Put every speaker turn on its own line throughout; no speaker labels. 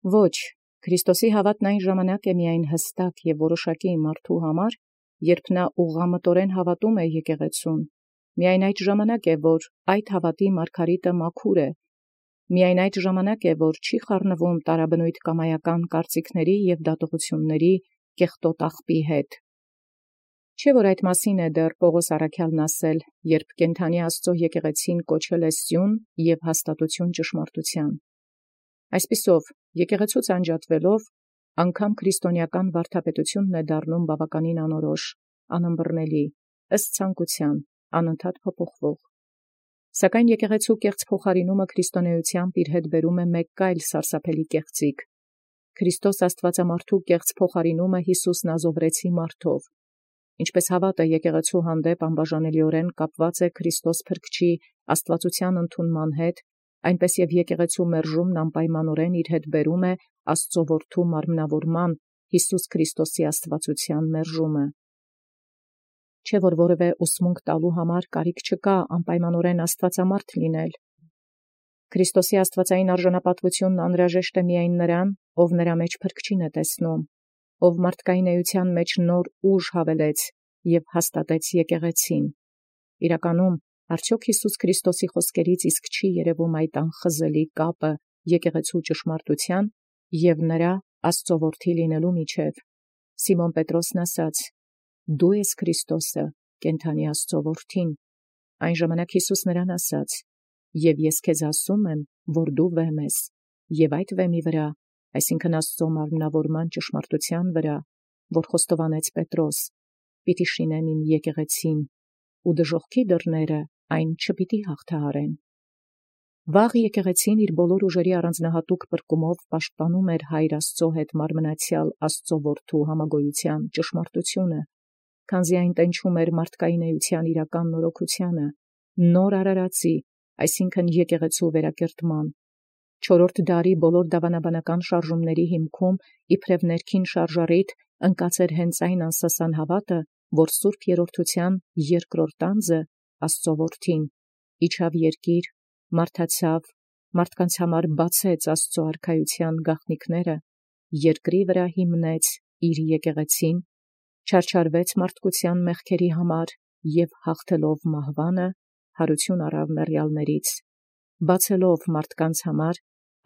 Ոչ, Քրիստոսի հավատն այն ժամանակ է միայն հստակ և որոշակի մարդու համար, երբ նա ուղղամտորեն հավատում է եկեղեցուն, միայն այդ ժամանակ է, որ այդ հավատի մարգարիտը մաքուր է, միայն այդ ժամանակ է, որ չի խառնվում տարաբնույթ կամայական կարծիքների և դատողությունների կեղտոտ աղբի հետ։ Չէ՞ որ այդ մասին է դեռ Պողոս առաքյալն ասել, երբ կենդանի Աստծո եկեղեցին կոչել է սյուն և հաստատություն ճշմարտութեան։ Այսպիսով, եկեղեցուց անջատվելով, անգամ քրիստոնեական վարդապետությունն է դառնում բավականին անորոշ, անըմբռնելի, ըստ ցանկութեան, անընդհատ փոփոխվող։ Սակայն եկեղեցու կեղծ փոխարինումը քրիստոնեությամբ իր հետ բերում է մեկ այլ սարսափելի կեղծիք. Քրիստոս Աստվածամարդու կեղծ փոխարինումը Յիսուս Նազովրեցի մարդով, ինչպես հավատը եկեղեցու հանդեպ անբաժանելիորեն կապված է Քրիստոս Փրկչի աստվածության ընդունման հետ, այնպես և եկեղեցու մերժումն անպայմանորեն իր հետ բերում է Աստծո որդու մարմնավորման Յիսուս Քրիստոսի աստվածության մերժումը։ Չէ՞ որ որևէ ուսմունք տալու համար կարիք չկա անպայմանորեն աստվածամարդ լինել։ Քրիստոսի աստվածային արժանապատվությունն անհրաժեշտ է միայն նրան, ով նրա մեջ Փրկչին է տեսնում, ով մարդկային էության մեջ նոր ուժ հավելեց և հաստատեց եկեղեցին։ Իրականում, արդյոք Յիսուս Քրիստոսի խոսքերից իսկ չի երևում այդ անխզելի կապը եկեղեցու ճշմարտութեան և նրա Աստծո որդի լինելու միջև։ Սիմոն Պետրոսն ասաց. «Դու ես Քրիստոսը, կենդանի Աստծո որդին»։ Այն ժամանակ Յիսուս նրան ասաց. «Եվ ես քեզ ասում եմ, որ դու վեմ ես, և այդ վեմի վրա, այսինքն Աստծո մարմնավորման ճշմարտութեան վրա, որ խոստովանեց Պետրոս, պիտի շինեմ իմ եկեղեցին, ու դժոխքի դռները այն չպիտի հաղթահարեն»։ Վաղ եկեղեցին իր բոլոր ուժերի առանձնահատուկ պրկումով պաշտպանում էր Հայր Աստծո հետ մարմնացյալ Աստծո որդու համագոյության ճշմարտությունը, քանզի այն տենչում էր մարդկային էության իրական նորոգությանը, նոր արարածի, այսինքն եկեղեցու վերակերտման։ Չորրորդ դարի բոլոր դավանաբանական շարժումների հիմքում իբրև ներքին շարժառիթ ընկած էր հենց այն անսասան հավատը, որ Սուրբ Երրորդության երկրորդ անձը, Աստծո որդին, իջավ երկիր, մարդացավ, մարդկանց համար բացեց Աստծո արքայության գաղտնիքները, երկրի վրա հիմնեց իր եկեղեցին, չարչարվեց մարդկության մեղքերի համար և հաղթելով մահվանը, հարություն առավ մեռյալներից, բացելով մարդկանց համար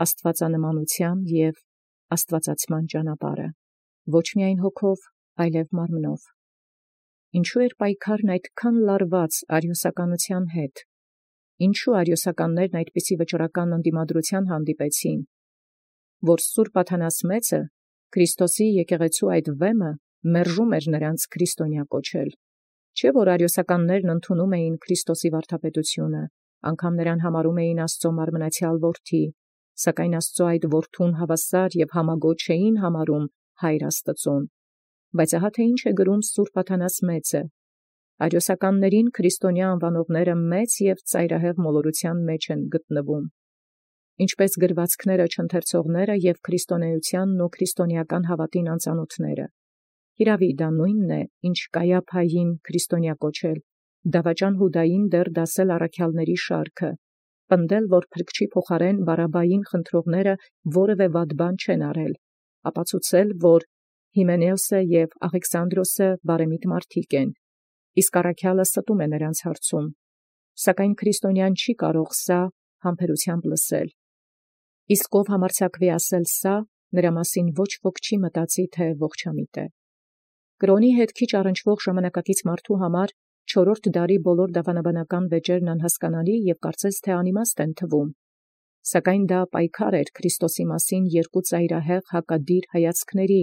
աստվածանմանության և աստվածացման ճանապարհը, ոչ միայն հոգով, այլև մարմնով։ Ինչու էր պայքարն այդքան լարված արիոսականության հետ։ Ինչու արիոսականներն այդպիսի վճռական ընդդիմադրության հանդիպեցին, որ Սուրբ Աթանաս մեծը, Քրիստոսի եկեղեցու այդ վեմը, մերժում էր նրանց քրիստոնյա կոչել։ Չէ՞ որ արիոսականներն ընդունում էին Քրիստոսի վարդապետությունը, անգամ նրան համարում էին Աստծո մարմնացյալ որդի, սակայն Աստծո այդ որդուն հավասար և համագոչ չէին համարում Հայր Աստծուն։ Բայց ահա թե ինչ է գրում Սուրբ Աթանաս մեծը. արիոսականներին քրիստոնյա անվանողները մեծ և ծայրահեղ մոլորության մեջ են գտնվում, ինչպես գրվածքները չընթերցողները և քրիստոնեությանն ու քրիստոնեական հավատին անծանոթները։ Հիրավի դա նույնն է, ինչ Կայափային քրիստոնյա կոչել, դավաճան Հուդային դեռ դասել առաքյալների շարքը, պնդել, որ Փրկչի փոխարեն Բարաբային խնդրողները որևէ վատ բան չեն արել, ապացուցել, որ Հիմենեոսը և Աղեքսանդրոսը բարեմիտ մարդիկ են, իսկ առաքյալը ստում է նրանց հարցում, սակայն քրիստոնյան չի կարող սա համբերությամբ լսել։ Իսկ ով համարձակվի ասել սա, նրա մասին ոչ ոք չի մտածի, թե ողջամիտ է։ Կրոնի հետ քիչ առնչվող ժամանակակից մարդու համար չորրորդ դարի բոլոր դավանաբանական վեճերն անհասկանալի և կարծես թե անիմաստ են թվում, սակայն դա պայքար էր Քրիստոսի մասին երկու ծայրահեղ հակադիր հայացքների,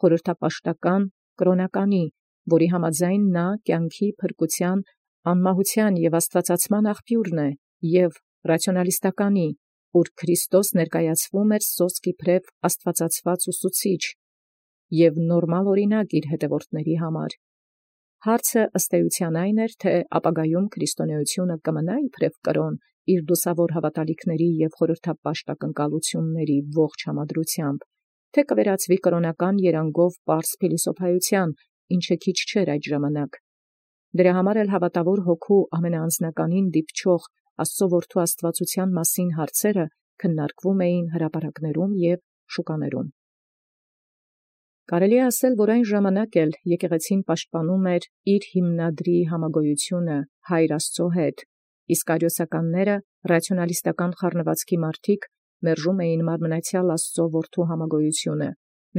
խորհրդապաշտական, կրոնականի, որի համաձայն նա կյանքի, փրկության, անմահության և աստվածացման աղբյուրն է, և ռացիոնալիստականի, ուր Քրիստոս ներկայացվում էր սոսկ իբրև աստվածացված ուսուցիչ և նորմալ օրինակ իր հետևորդների համար։ Հարցը ըստ էության այն էր, թե ապագայում քրիստոնեությունը կմնա իբրև կրոն իր դուսավոր հավատալիքների և խորհրդապաշտակնկալությունների ողջ համադրությամբ, թե կվերածվի կրոնական երանգով պարզ փիլիսոփայության, ինչը քիչ չէր այդ ժամանակ։ Դրա համար էլ հավատավոր հոգու ամենաանձնականին դիպչող Աստծո որդու աստվածության մասին հարցերը քննարկվում էին հրապարակներում և շուկաներում։ Կարելի է ասել, որ այն ժամանակ էլ եկեղեցին պաշտպանում էր իր հիմնադրի համագոյությունը Հայր Աստծո հետ, իսկ արիոսականները ռացիոնալիստական խառնվածքի մարդիկ մերժում էին մարմնացյալ Աստծո որդու համագոյությունը,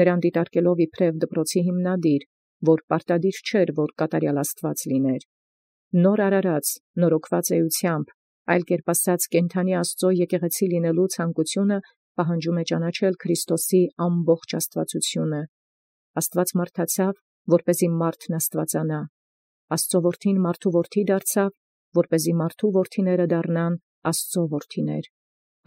նրան դիտարկելով իբրև դպրոցի հիմնադիր, որ պարտադիր չէր, որ կատարյալ Աստված լիներ։ Նոր արարած, նորոգված էությամբ, այլ կերպ ասած կենդանի Աստծո եկեղեցի լինելու ցանկությունը պահանջում է ճանաչել Քրիստոսի ամբողջ աստվածությունը։ Աստված մարդացավ, որպեսզի մարդն աստվածանա։ Աստծո որդին մարդու որդի դարձավ, որպեսզի մարդու որդիները դառնան Աստծո որդիներ։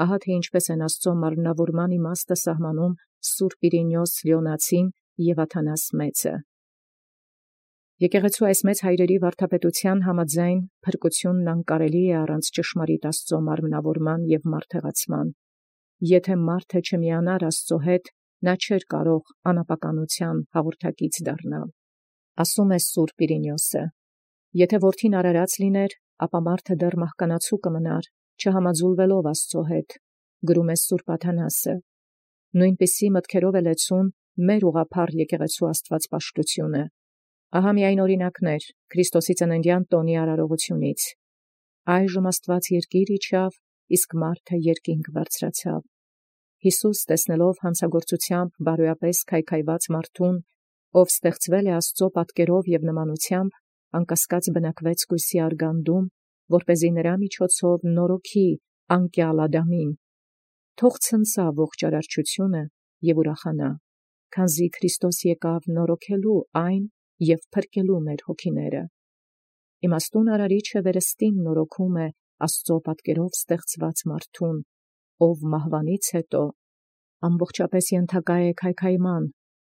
Ահա թե ինչպես են Աստծո մարմնավորման իմաստը սահմանում Սուրբ Իրինիոս Լիոնացին և Աթանաս մեծը։ Եկեղեցու այս մեծ հայրերի վարդապետության համաձայն փրկությունն անկարելի է առանց ճշմարիտ Աստծո մարմնավորման և մարդեղացման։ Եթե մարդը չմիանար Աստծո հետ, նա չէր կարող անապականության հաղորդակից դառնալ։ Ասում է Սուրբ Իրինիոսը. եթե որդին արարած լիներ, ապա մարդը դեռ մահկանացու կմնար, չհամաձուլվելով Աստծո հետ, գրում է Սուրբ Աթանասը։ Նույնպիսի մտքերով է լեցուն մեր ուղղափառ եկեղեցու աստվածպաշտությունը։ Ահա միայն օրինակներ Քրիստոսի ծննդյան տոնի արարողությունից։ Այժմ Աստված երկիր իջավ, իսկ մարդը երկինք բարձրացավ։ Յիսուս տեսնելով հանցագործությամբ բարոյապես քայքայված մարդուն, ով ստեղծվել է Աստծո պատկերով և նմանությամբ, անկասկած բնակվեց կույսի արգանդում, որպեսզի նրա միջոցով նորոգի անկյալ Ադամին։ Թող ցնցա ողջ արարչությունը և ուրախանա, քանզի Քրիստոս եկավ նորոգելու այն և փրկելու մեր հոգիները։ Իմաստուն արարիչը վերստին նորոգում է Աստծո պատկերով ստեղծված մարդուն, ով մահվանից հետո ամբողջապես ենթակա է քայքայման,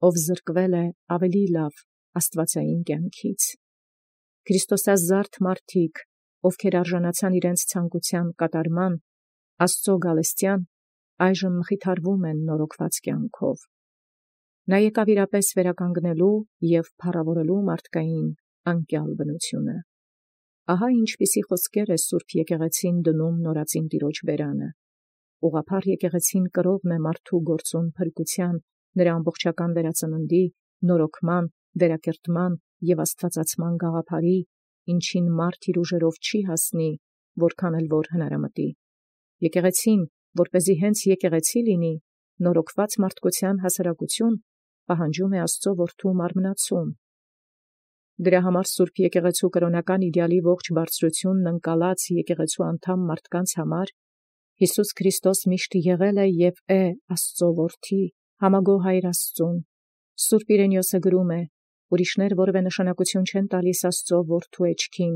ով զրկվել է ավելի լավ աստվածային կյանքից։ Քրիստոսազարդ մարդիկ, ովքեր արժանացան իրենց ցանկության կատարման, Աստծո գալստյան, այժմ մխիթարվում են նորոգված կյանքով։ Նա եկավ իրապես վերականգնելու և փառավորելու մարդկային անկյալ բնությունը։ Ահա ինչպիսի խոսքեր է Սուրբ եկեղեցին դնում նորածին Տիրոջ բերանը։ Ուղղափառ եկեղեցին կրողն է մարդու գործուն փրկության, նրա ամբողջական վերածննդի, նորոգման, վերակերտման և աստվածացման գաղափարի, ինչին մարդ իր ուժերով չի հասնի, որքան էլ որ հնարամտի։ Եկեղեցին, որպեսզի հենց եկեղեցի լինի, նորոգված մարդկության հասարակություն, պահանջում է Աստծո որդու մարմնացում։ Դրա համար Սուրբ եկեղեցու կրոնական իդեալի ողջ բարձրությունն ընկալած եկեղեցու անդամ մարդկանց համար Հիսուս Քրիստոս միշտ եղել է և է Աստծո որդի, համագոհ Հայր Աստծուն։ Սուրբ Իրենիոսը գրում է. ուրիշներ որևէ նշանակություն չեն տալիս Աստծո որդու էջքին,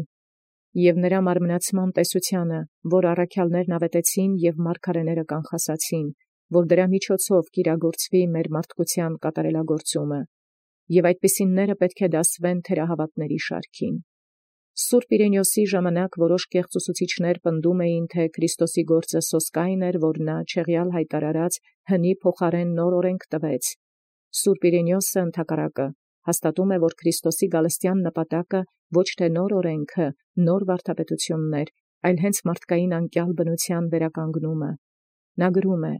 և նրա մարմնացման տեսությանը, որ առաքյալներն ավետեցին և մարգարեները կանխասացին, որ դրա միջոցով կիրագործվի մեր մարդկության կատարելագործումը, և այդպիսինները պետք է դասվեն թերահավատների շարքին։ Սուրբ Իրենիոսի ժամանակ որոշ կեղծ ուսուցիչներ պնդում էին, թե Քրիստոսի գործը սոսկայն էր, որ նա չեղյալ հայտարարած հնի փոխարեն նոր օրենք տվեց։ Սուրբ Իրենիոսը ընդհակառակը հաստատում է, որ Քրիստոսի գալստյան նպատակը ոչ թե նոր օրենքը, նոր վարդապետությունն էր, այլ հենց մարդկային անկյալ բնության վերականգնումը։ Նա գրում է.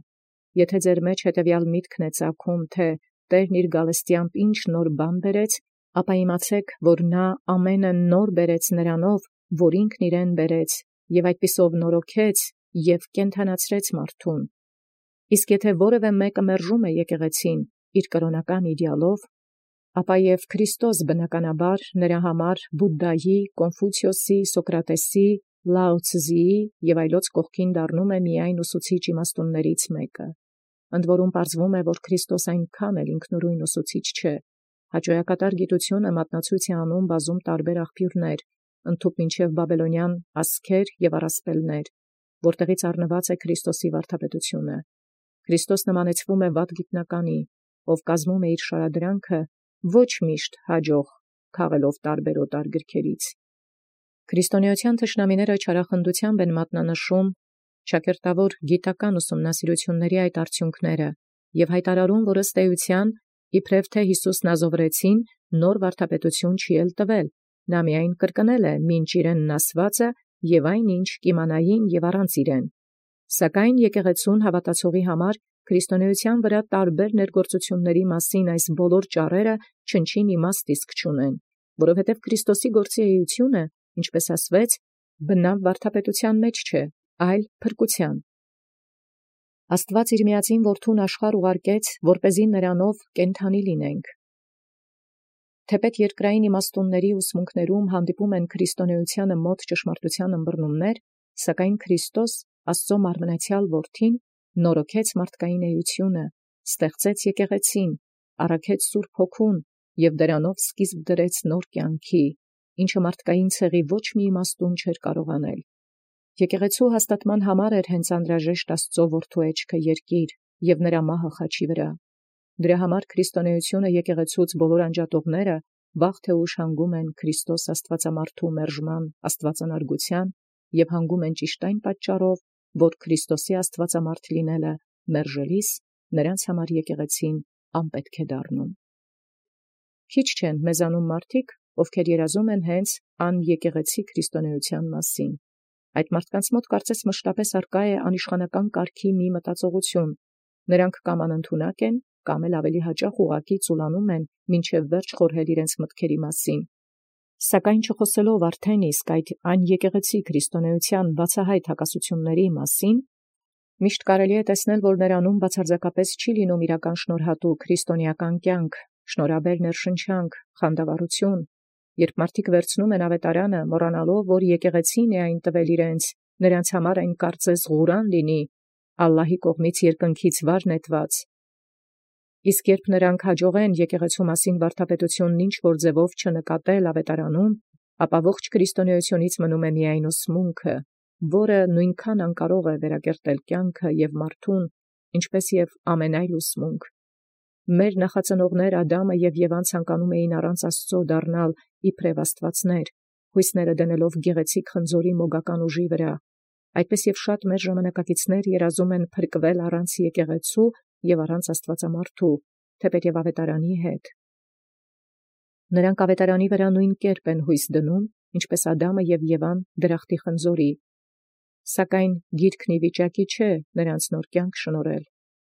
եթե ձեր մեջ հետևյալ միտքն է ծագում, թե Տերն իր գալստյամբ ինչ նոր բան բերեց, ապա իմացեք, որ նա ամենը նոր բերեց նրանով, որ ինքն իրեն բերեց, և այդպիսով նորոգեց և կենդանացրեց մարդուն։ Իսկ եթե որևէ մեկը մերժում է եկեղեցին իր կրոնական իդեալով, ապա և Քրիստոս բնականաբար նրա համար Բուդդայի, Կոնֆուցիոսի, Սոկրատեսի, Լաո Ցզիի և այլոց կողքին դառնում է միայն ուսուցիչ իմաստուններից մեկը։ Ընդ որում պարզվում է, որ Քրիստոս այնքան էլ ինքնուրույն ուսուցիչ չէ։ Հաճոյակատար գիտությունը մատնացույց է անում բազում տարբեր աղբյուրներ, ընդհուպ մինչև բաբելոնյան ասքեր և առասպելներ, որտեղից առնված է Քրիստոսի վարդապետությունը։ Քրիստոս նմանեցվում է վատ գիտնականի, ով կազմում է իր շարադրանքը ոչ միշտ հաջող քաղելով տարբերոտար գրքերից։ Քրիստոնեության թշնամիները չարախնդությամբ են մատնանշում շակերտավոր գիտական ուսումնասիրությունների այդ արդյունքները և հայտարարում, որ ըստ էության, իբրև թե Հիսուսն ազովրեցին, նոր վարդապետություն չի էլ տվել, նա միայն կրկնել է մինչ իրենն ասվածը և այն ինչ կիմանային և առանց իրեն։ Սակայն եկեղեցուն հավատացողի համար քրիստոնեության վրա տարբեր ներգործությունների մասին այս բոլոր ճառերը չնչին իմաստ իսկ չունեն, որովհետև Քրիստոսի գործի էությունը, ինչպես ասվեց, բնավ վարդապետության մեջ չէ, այլ փրկության։ Աստված իր միածին որդուն աշխարհ ուղարկեց, որպեսզի նրանով կենդանի լինենք։ Թեպետ երկրային իմաստունների ուսմունքներում հանդիպում են քրիստոնեությանը մոտ ճշմարտության ըմբռնումներ, սակայն Քրիստոս, Աստծո մարմնացյալ որդին, նորոգեց մարդկային էությունը, ստեղծեց եկեղեցին, առաքեց Սուրբ Հոգուն և դրանով սկիզբ դրեց նոր կյանքի, ինչը մարդկային ցեղի ոչ մի իմաստուն չէր կարող անել։ Եկեղեցու հաստատման համար էր հենց անհրաժեշտ Աստծո որդու էջքը երկիր և նրա մահը խաչի վրա։ Դրա համար քրիստոնեությունը եկեղեցուց բոլոր անջատողները վաղ թե ուշ հանգում են Քրիստոս Աստվածամարդու մերժման աստվածանարգության և հանգում են ճիշտ այն պատճառով, որ Քրիստոսի Աստվածամարդ լինելը մերժելիս նրանց համար եկեղեցին անպետք է դառնում։ Քիչ չեն մեզանում մարդիկ, ովքեր երազում են հենց անեկեղեցի քրիստոնեության մասին։ Այդ մարդկանց մոտ կարծես մշտապես արկա է անիշխանական կարգի մի մտածողություն։ Նրանք կամ անընդունակ են, կամ էլ ավելի հաճախ ուղղակի ծուլանում են մինչև վերջ խորհել իրենց մտքերի մասին։ Սակայն չխոսելով արդեն իսկ այդ անեկեղեցի քրիստոնեության բացահայտ հակասությունների մասին, միշտ կարելի է տեսնել, որ նրանում բացարձակապես չի լինում իրական շնորհատու քրիստոնեական կյանք, շնորհաբեր ներշնչանք, խանդավառություն, երբ մարդիկ վերցնում են ավետարանը, մոռանալով, որ եկեղեցին է այն տվել իրենց, նրանց համար այն կարծես ղուրան լինի, Ալլահի կողմից երկնքից վար նետված։ Իսկ երբ նրանք հաջողեն եկեղեցու մասին վարդապետությունն ինչ-որ ձևով չնկատել ավետարանում, ապա ողջ քրիստոնեությունից մնում է միայն ուսմունքը, որը նույնքան անկարող է վերակերտել կյանքը և մարդուն, ինչպես և ամեն այլ ուսմունք։ Մեր նախածնողներ Ադամը և Եվան ցանկանում էին առանց Աստծո դառնալ իբրև աստվածներ, հույսները դնելով գեղեցիկ խնձորի մոգական ուժի վրա։ Այդպես և շատ մեր ժամանակակիցներ երազում են փրկվել առանց եկեղեցու և առանց Աստվածամարդու, թեպետև ավետարանի հետ։ Նրանք ավետարանի վրա նույն կերպ են հույս դնում, ինչպես Ադամը և Եվան դրախտի խնձորի։ Սակայն գիրքն ի վիճակի չէ նրանց նոր կյանք շնորհել։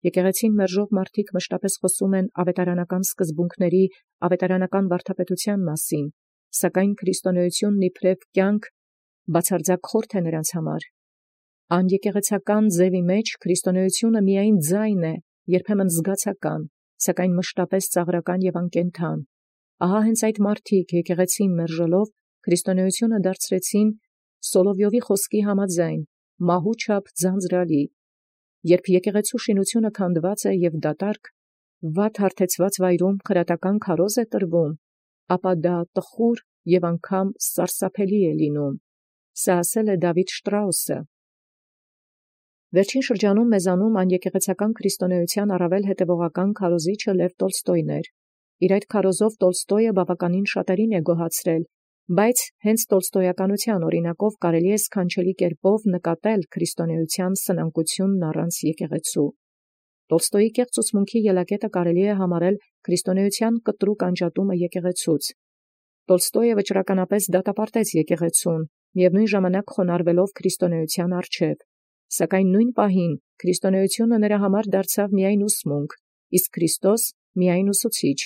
Եկեղեցին մերժող մարդիկ մշտապես խոսում են ավետարանական սկզբունքների, ավետարանական վարդապետության մասին, սակայն քրիստոնեությունն իբրև կյանք բացարձակ խորթ է նրանց համար։ Անեկեղեցական ձևի մեջ քրիստոնեությունը միայն ձայն է, երբեմն զգացական, սակայն մշտապես ծաղրական և անկենդան։ Ահա հենց այդ մարդիկ եկեղեցին մերժելով քրիստոնեությունը դարձրեցին Սոլովյովի խոսքի համաձայն մահու չափ ձանձրալի։ Երբ եկեղեցու շինությունը քանդված է և դատարկ, վատ հարթեցված վայրում խրատական քարոզ է տրվում, ապա դա տխուր և անգամ սարսափելի է լինում։ Սա ասել է Դավիթ Շտրաուսը։ Վերջին շրջանում մեզանում անեկեղեցական քրիստոնեության առավել հետևողական քարոզիչը Լև Տոլստոյն էր։ Իր այդ քարոզով Տոլստոյը բավականին շատերին է գոհացրել, բայց հենց տոլստոյականության օրինակով կարելի է սքանչելի կերպով նկատել քրիստոնեության սնանկությունն առանց եկեղեցու։ Տոլստոյի կեղծ ուսմունքի ելակետը կարելի է համարել քրիստոնեության կտրուկ անջատումը եկեղեցուց։ Տոլստոյը վճռականապես դատապարտեց եկեղեցուն, միևնույն ժամանակ խոնարհվելով քրիստոնեության առջև, սակայն նույն պահին քրիստոնեությունը նրա համար դարձավ միայն ուսմունք, իսկ Քրիստոս միայն ուսուցիչ։